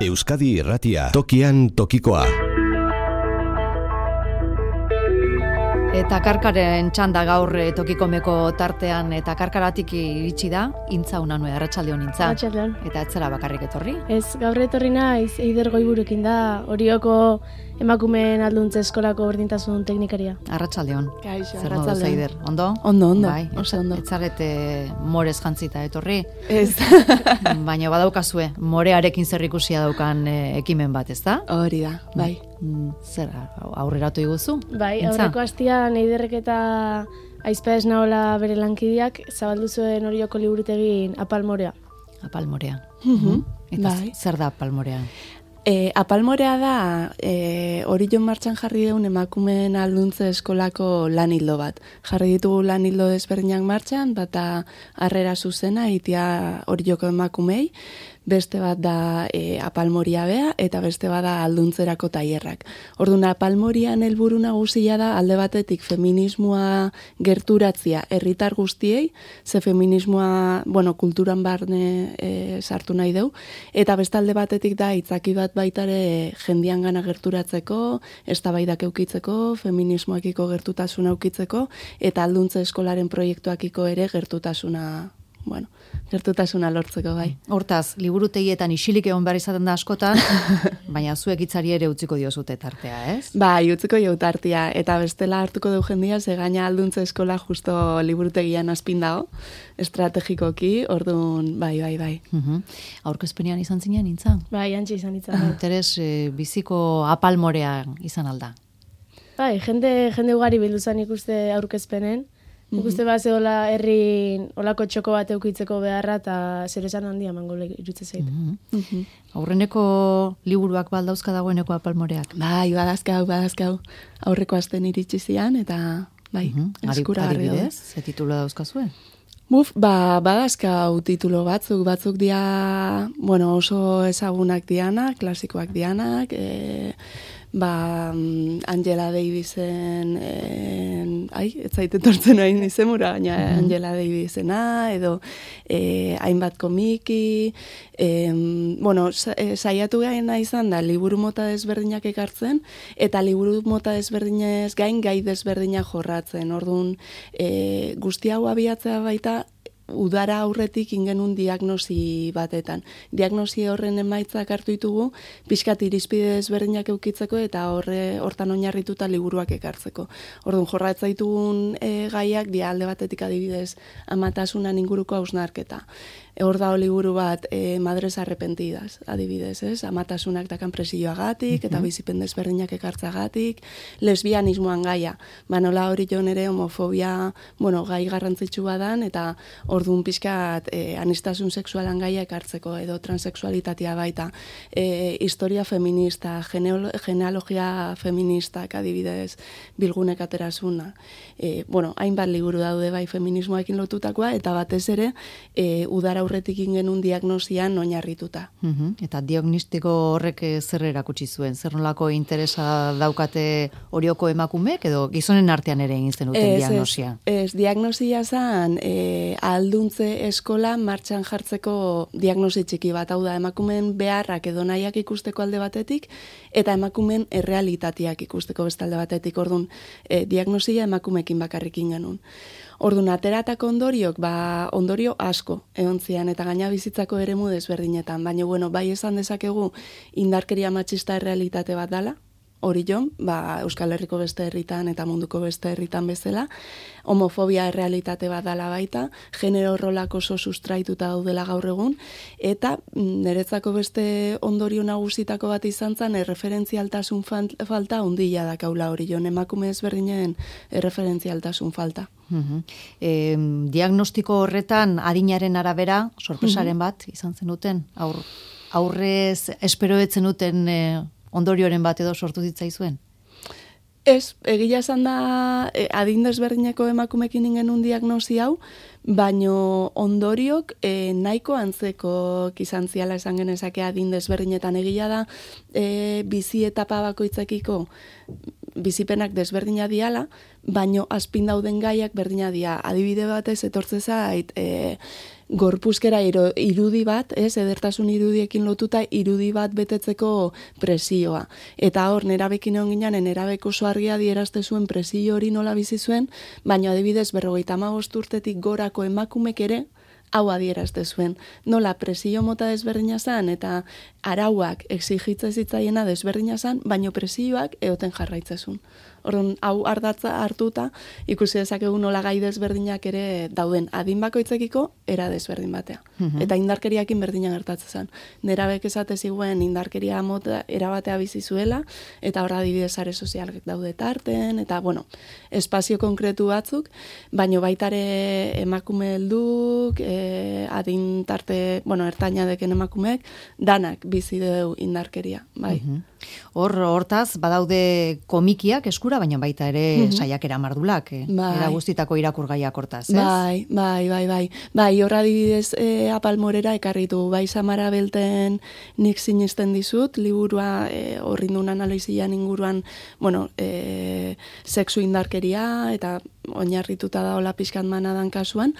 Euskadi Irratia, tokian tokikoa. Eta karkaren txanda gaur tokikomeko tartean, eta karkaratik iritsi da, Intza Unanue, arratsaldeon Intza. Arratsaldeon. Eta etzera bakarrik etorri? Ez, gaur etorri naiz, Eider Goiburukin da, Orioko emakumeen alduntze eskolako berdintasun teknikaria. Arratsaldeon. Kaixo, Zer moduz, Eider? Ondo? Ondo, Bai, oso ondo. Etzarete morez jantzita etorri? Ez. Baina badaukazue, morearekin zer ikusia daukan ekimen bat, ezta? Hori da, bai. Zer, aurreratu iguzu? Bai, Intza? aurreko astian Eiderrek eta Aizpa Esnaola bere lankideak zabaldu zuen Orioko liburutegin Apalmorea. Apalmorea. Eta Bai. zer da Apalmorea? Apalmorea da Orion martxan jarri deun emakumeen alduntze eskolako lan hildo bat. Jarri ditugu lan hildo desberdinak martxan, bata harrera zuzena itia Orioko emakumei, beste bat da Apalmoria bea, eta beste bat da alduntzerako tailerrak. Orduan, Apalmorian helburu nagusia da alde batetik feminismoa gerturatzia herritar guztiei, ze feminismoa, kulturan barne sartu nahi deu, eta beste alde batetik da itzaki bat baitare jendian gana gerturatzeko, eztabaidak eukitzeko, feminismoakiko gertutasuna eukitzeko, eta alduntze eskolaren proiektuakiko ere gertutasuna lortzeko, bai. Hortaz, liburutegietan isilik egon behar izaten da askotan, baina zuek hitzari ere utziko diozute tartea, ez? Bai, utziko jo tartea, eta bestela hartuko du jendia, ze gaina alduntze eskola justo liburutegian azpin dago, estrategikoki, orduan, bai. Aurkezpenean izan zinen, Intza? Bai, antxe izan ditzen. Interes biziko Apalmorea izan alda. Bai, jende ugari bildu zen ikuste aurkezpenen, ikuste bat zehola herrin olako txoko bat eukitzeko beharra eta zer esan handia mango irutze zait. Aurreneko liburuak baldauzka dagoeneko Apalmoreak? Bai, badazkau. Aurreko asten iritsi zian eta bai, eskuragarri daude. Adibidez, ze titulu dauzkazue? Badazkau titulo batzuk dia, oso ezagunak dianak, klasikoak dianak, Angela Davisen, ez zaite tortzen hain izemura, baina Angela Davisena, edo hainbat komiki, saiatu gaina izan da, liburu mota desberdinak ekartzen, eta liburu mota desberdinez gain gai desberdinak jorratzen. Orduan, guzti hau abiatzea baita, udara aurretik ingenun diagnosi batetan. Diagnosi horren emaitzak hartu ditugu, pixkat irizpide desberdinak eukitzeko eta hortan oinarrituta liburuak ekartzeko. Orduan, jorratza ditugun gaiak, alde batetik adibidez, amatasunan inguruko hausnarketa. Hor da liburu bat, Madres Arrepentidas, adibidez, ez? Amatasunak dakan presioagatik, eta bizipen desberdinak ekartzagatik, lesbianismoan gaia. Nola hori joan ere homofobia, gai garrantzitsua dan, eta orduan pixkat anistasun sexualan gaia ekartzeko, edo transexualitatea baita. Historia feminista, genealogia feministak, adibidez, bilgunek aterazuna. Hainbat liburu daude bai feminismoekin lotutakoa, eta batez ere, udara aurretik ingenun diagnosian oinarrituta. Eta diagnostiko horrek zer erakutsi zuen? Zer nolako interesa daukate Orioko emakumeek, edo gizonen artean ere egin zenuten diagnosia? Ez, diagnosia zen alduntze eskola martxan jartzeko diagnosi txiki bat, hau da, emakumeen beharrak edo nahiak ikusteko alde batetik, eta emakumeen errealitateak ikusteko beste alde batetik. Orduan, diagnosia emakumeekin bakarrik ingenun. Orduan, ateratako ondoriok, ondorio asko egon zian, eta gaina bizitzako eremu desberdinetan. Baina, bai esan dezakegu indarkeria matxista errealitate bat dala, hori jon, Euskal Herriko beste herritan eta munduko beste herritan bezala, homofobia errealitate bat dala baita, genero rolak oso sustraituta daudela gaur egun, eta niretzako beste ondorio nagusitako bat izan zen, erreferentzialtasun falta ondila dakaula hori jon, emakume ezberdinen erreferentzialtasun falta. Diagnostiko horretan adinaren arabera, sorpresaren bat izan zenuten, aurrez esperoetzen duten ondorioren bat edo sortu zitzaizuen? Ez, egia esan da adin desberdineko emakumekin ingenun diagnosi hau, baino ondoriok nahiko antzeko izan ziala esan genezake adin desberdinetan. Egia da bizi etapa bakoitzekiko bizipenak desberdina diala, baino azpin dauden gaiak berdina dia. Adibide batez etortze zait gorpuzkera irudi bat, edertasun irudiekin lotuta irudi bat betetzeko presioa. Eta hor, nerabekin egon ginen, nerabek oso argia dierazte zuen presio hori nola bizi zuen, baina adibidez 55 urtetik gorako emakumek ere, hau adierazte zuen. Nola presio mota desberdina zan eta arauak exigitze zitzaiena desberdina zan, baino presioak eoten jarraitzezun. Orduan, hau ardatza hartuta, ikusi dezakegu nola gai desberdinak ere dauden adin bakoitzekiko era desberdin batea. Eta indarkeriakin berdina gertatzen zen. Nerabek esate ziguen indarkeria mota erabatea bizi zuela, eta horra adibidez sare sozialak daude tarten, eta, bueno, espazio konkretu batzuk, baino baitare emakume helduk, adin tarte, bueno, ertaina deken emakumeek, danak bizi deu indarkeria, bai. Hortaz, badaude komikiak eskura, baina baita ere saiakera mardulak, era guztitako irakurgaiak hortaz, ez? Bai, horra adibidez Apalmorera ekarritu, bai Samara Belten nik sinisten dizut, liburua horrindun analizian inguruan, bueno, sexu indarkeria, eta oinarrituta da hola pixkat manadan kasuan,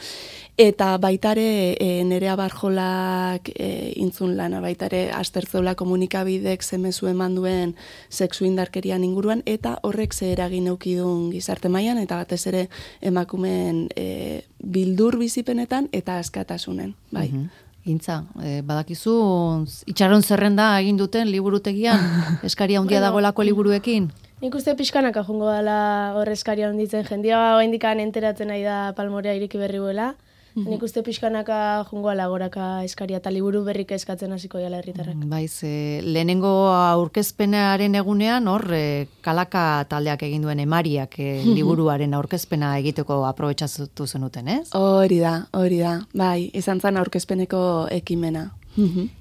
eta baitare Nerea Barjolak intzun lana, baitare astertzeula komunikabidek zemezu eman duen sexu indarkerian inguruan, eta horrek ze eragin eukidun gizarte mailan eta batez ere emakumeen bildur bizipenetan eta askatasunen, bai. Gintza, badakizu, itxaron zerrenda egin duten liburutegian, eskaria handia dagoelako liburuekin? Nik uste pixkanaka jungo dela hor eskaria handitzen jendia, oraindikan enteratzen nahi da Palmorea ireki berri buela. Nik uste pixkanaka jungo goraka eskaria eta liburu berrik eskatzen hasiko dela herritarrak. Baiz, lehenengo aurkezpenaren egunean hor Kalaka taldeak egin duen Emariak liburuaren aurkezpena egiteko aprobetxatu zenuten, ez? Hori da, bai, izan zen aurkezpeneko ekimena.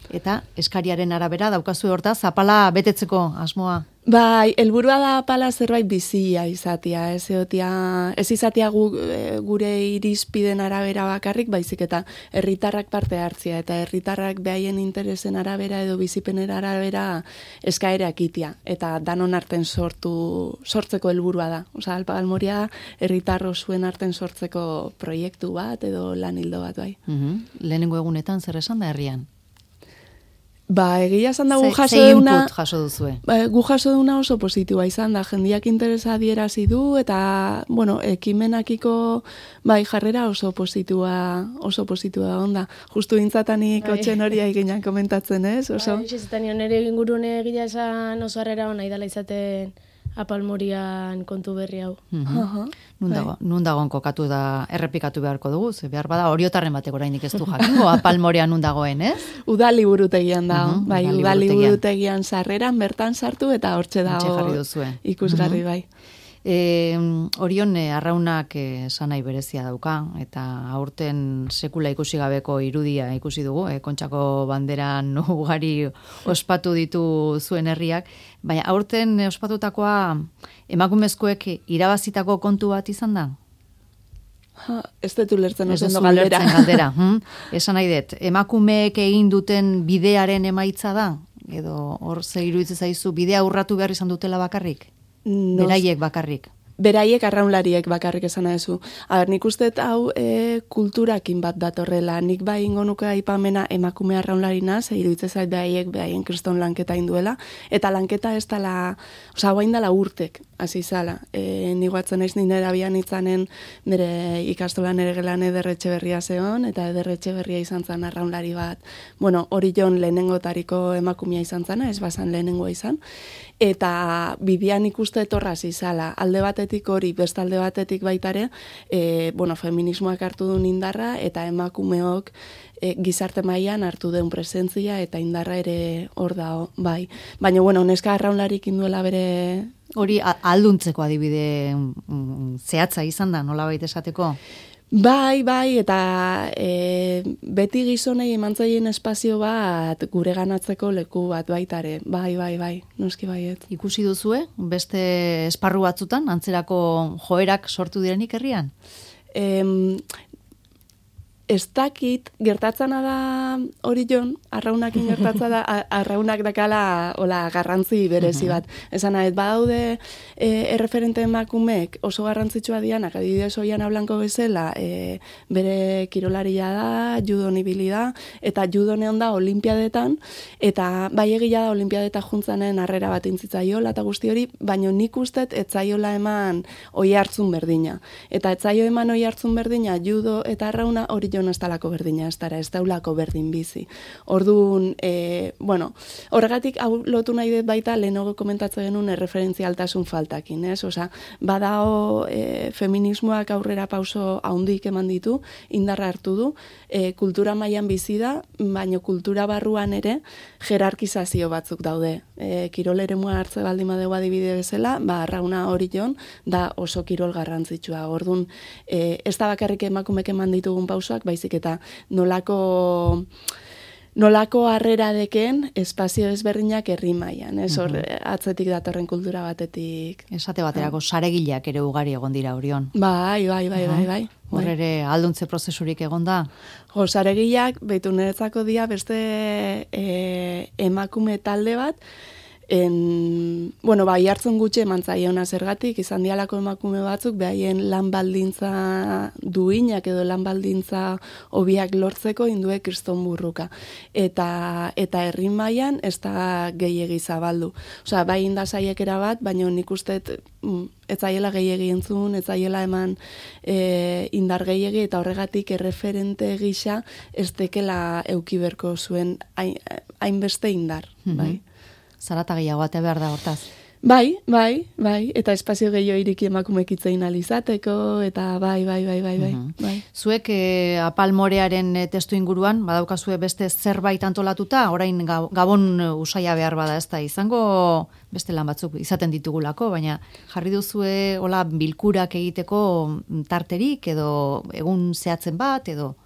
Eta eskariaren arabera daukazu hortaz apala betetzeko asmoa? Bai, helburua da apala zerbait bizia izatea, ez izatea gure irizpiden arabera bakarrik, baizik eta herritarrak parte hartzia, eta herritarrak behaien interesen arabera edo bizipenen arabera eskaerak itia, eta danon arten sortzeko helburua da. Osa, Palmorea herritarro zuen arten sortzeko proiektu bat edo lan hildo bat, bai. Lehenengo egunetan zer esan da herrian? Ba, egia esan da gu jaso duzue? Gu jaso duna oso positiua izan da, jendiak interesa adierazi du, eta, bueno, ekimenakiko bai jarrera oso positua onda. Justu intzatanik otxen hori aiginan komentatzen, ez? Bai, izaten nire ingurune egia esan oso harrera hona idala izaten Apalmorian kontu berri hau. Nun dagoen kokatu da errepikatu beharko dugu, ze behar bada oriotarren batek orainik ez du jakingo Apalmorian nun dagoen, ez? Uda liburutegian da, bai, uda liburutegian sarreran bertan sartu eta hortxe dago ikusgarri, bai. Orion Arraunak sanai berezia dauka, eta aurten sekula ikusi gabeko irudia ikusi dugu, Kontxako banderan ugari ospatu ditu zuen herriak, baina aurten ospatutakoa emakumezkoek irabazitako kontu bat izan da? Ez dut ulertzen oso galdera. Esan nahi dut, emakumeek egin duten bidearen emaitza da? Edo hor ze iruditzen zaizu bidea urratu behar izan dutela bakarrik? Beraiek bakarrik. Beraiek arraunlariek bakarrik esan ezu. Nik uste hau kulturakin bat datorrela. Nik bai ingo nuke aipamena emakume arraunlarina, ze iruditzen zait behaien kriston lanketa induela, eta lanketa ez dela, oza, guain dela urtek, hasi zala. Nik guatzen naiz nire abian itzanen bere ikastolan ere gelan Ederretxe Berria zeon, eta Ederretxe Berria izan zan arraunlari bat. Bueno, hori jon lehenengotariko emakumea izan zana, ez bazan lehenengoa izan. Eta bidean ikuste etorraz izala, alde batetik hori, bestalde batetik baitare, feminismoak hartu duen indarra, eta emakumeok gizarte mailan hartu duen presentzia, eta indarra ere hor da, bai. Baina, neska arraunlarik induela bere... Hori alduntzeko adibide zehatza izan da, nola baita esateko? Bai, eta beti gizonei emantzaien espazio bat gure ganatzeko leku bat baitare. Bai, noski baiet. Ikusi duzue, beste esparru batzutan, antzerako joerak sortu direnik herrian? ez dakit, gertatzana da Orion, arraunakin gertatza da, arraunak dakala garrantzi berezi bat. Esan nahi, badaude erreferente emakumeek oso garrantzitsua dianak, adibidez Oiana Blanco bezala, bere kirolaria da, judon ibili da, eta judonean da olimpiadetan, eta bai egia da olimpiadeta juntzanen harrera bat intzitzaiola eta guzti hori, baina nik ustet etzaiola eman oi hartzun berdina. Eta etzaio eman oi hartzun berdina, judo eta arrauna Orion ez talako berdina, ez daulako berdin bizi. Orduan, horregatik hau lotu nahi dut baita lehenago komentatzen genuen erreferentzialtasun faltakin, ez? Osa, badao feminismoak aurrera pauso haundik eman ditu, indarra hartu du, kultura mailan bizi da, baina kultura barruan ere jerarkizazio batzuk daude. Kirol eremua hartze baldin badegu adibide bezala, arrauna Orion da oso kirol garrantzitsua. Orduan, ez da bakarrik emakumek eman ditugun pausoak, baizik eta nolako harrera deken espazio ezberdinak herri mailan, ez hor atzetik datorren kultura batetik. Esate baterako saregileak ere ugari egon dira Orion. Bai. Hor ere alduntze prozesurik egon da? Saregileak, behitu niretzako dia beste emakume talde bat, hartzen gutxe eman zaiona zergatik, izan dialako emakume batzuk, behaien lan baldintza duinak edo lan baldintza hobiak lortzeko indue kriston burruka. Eta herri mailan ez da gehiegi zabaldu. Osea, bai inda saiekera bat, baina nik uste ez zaiela gehiegi entzun, ez zaiela eman indar gehiegi, eta horregatik erreferente gisa ez tekela eukiberko zuen hainbeste indar, bai. Zarata gehiago atea behar da hortaz. Bai, eta espazio gehiago iriki emakumeek itzein alizateko, eta bai. Zuek apalmorearen testu inguruan, badaukazue beste zerbait antolatuta, orain gabon usaia behar bada ez da, izango beste lan batzuk izaten ditugulako, baina jarri duzue hola bilkurak egiteko tarterik, edo egun zehatzen bat, edo...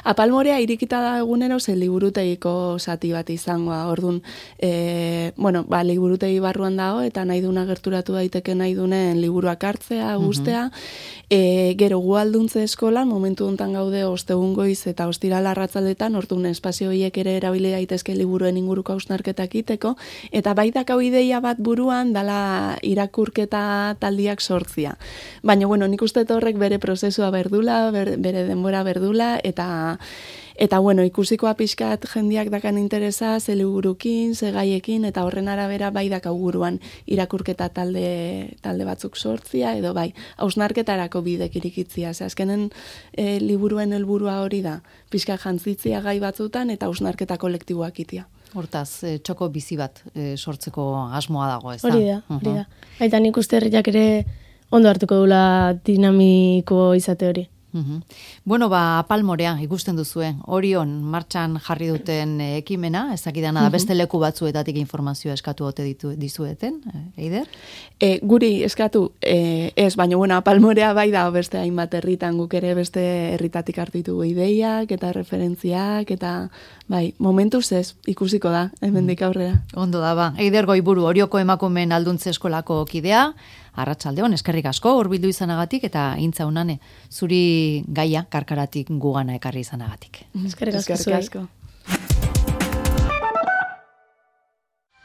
Apalmorea irikita da egunero ze liburutegiko zati bat izangoa. Orduan, liburutegi barruan dago eta nahi duna gerturatu daiteke nahi dunen liburuak hartzea, guztea. Gero gu alduntze eskolan, momentu hontan gaude ostegun goiz eta ostirala arratzaldetan, orduan espazio horiek ere erabili daitezke liburuen inguruko hausnarketak egiteko, eta baitak hau ideia bat buruan dala irakurketa taldiak sortzia. Baina, nik uste horrek bere prozesua berdula, bere denbora berdula, eta ikusikoa pixkat jendiak dakan interesa, ze liburukin, ze gaiekin, eta horren arabera bai dakau buruan irakurketa talde batzuk sortzia, edo bai, hausnarketarako bidek irikitzia. Azkenen liburuen helburua hori da, pixkat jantzitzia gai batzutan, eta hausnarketa kolektiboak itia. Hortaz, txoko bizi bat sortzeko asmoa dago, ez da? Hori da. Baita nik uste herriak ere ondo hartuko dula dinamiko izate hori. Apalmorea ikusten duzue, Orion martxan jarri duten ekimena, ezakidana da beste leku batzuetatik informazioa eskatu ote dizueten, Eider? Guri eskatu, ez, baina Apalmorea bai da beste hainbat herritan, guk ere beste herritatik hartitugu ideiak eta referentziak, eta bai, momentuz ez, ikusiko da, hemendik aurrera. Ondo da, ba. Eider Goiburu, Orioko emakumeen alduntze eskolako kidea, arratsaldeon, eskerrik asko hurbildu izanagatik eta intza unane, zuri gaia karkaratik gugana ekarri izanagatik. Eskerrik asko.